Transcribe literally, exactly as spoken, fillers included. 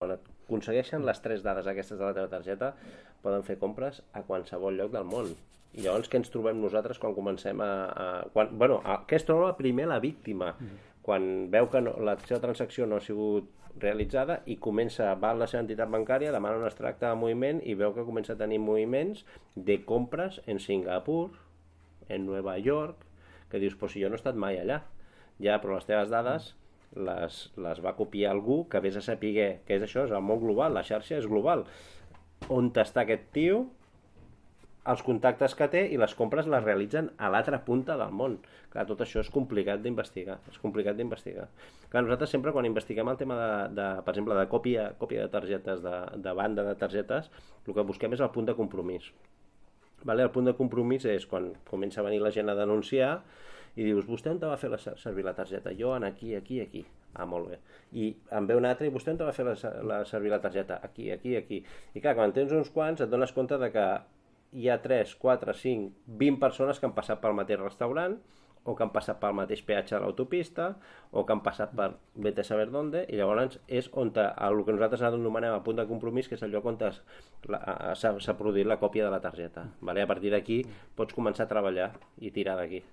quan aconsegueixen les tres dades aquestes de la teva targeta, poden fer compres a qualsevol lloc del món. I llavors què ens trobem nosaltres quan comencem a... a quan, bueno, a, què es troba primer la víctima? Mm. Quan veu que no, la seva transacció no ha sigut realitzada i comença, va a la seva entitat bancària, demana un extracte de moviment i veu que comença a tenir moviments de compres en Singapur, en Nova York, que dius, però si jo no he estat mai allà. Ja, però les teves dades les, les va copiar algú que vés a saber què és això, és el món global, la xarxa és global. On està aquest tio, els contactes que té i les compres les realitzen a l'altra punta del món. Clar, tot això és complicat d'investigar, és complicat d'investigar. Clar, nosaltres sempre quan investiguem el tema de, de per exemple, de còpia, còpia de targetes, de, de banda de targetes, el que busquem és el punt de compromís. Vale? El punt de compromís és quan comença a venir la gent a denunciar i dius, vostè on te va fer la, servir la targeta? Jo en aquí, aquí, aquí. Ah, molt bé. I en ve un altre i vostè on te va fer la, la, servir la targeta? Aquí, aquí, aquí. I clar, quan tens uns quants et dones compte de que hi ha tres, quatre, cinc, vint persones que han passat pel mateix restaurant o que han passat pel mateix peatge de l'autopista o que han passat per vete a saber dónde, i llavors és on te, el que nosaltres anomenem el punt de compromís, que és el lloc on s'ha produït la còpia de la targeta. Vale? A partir d'aquí pots començar a treballar i tirar d'aquí.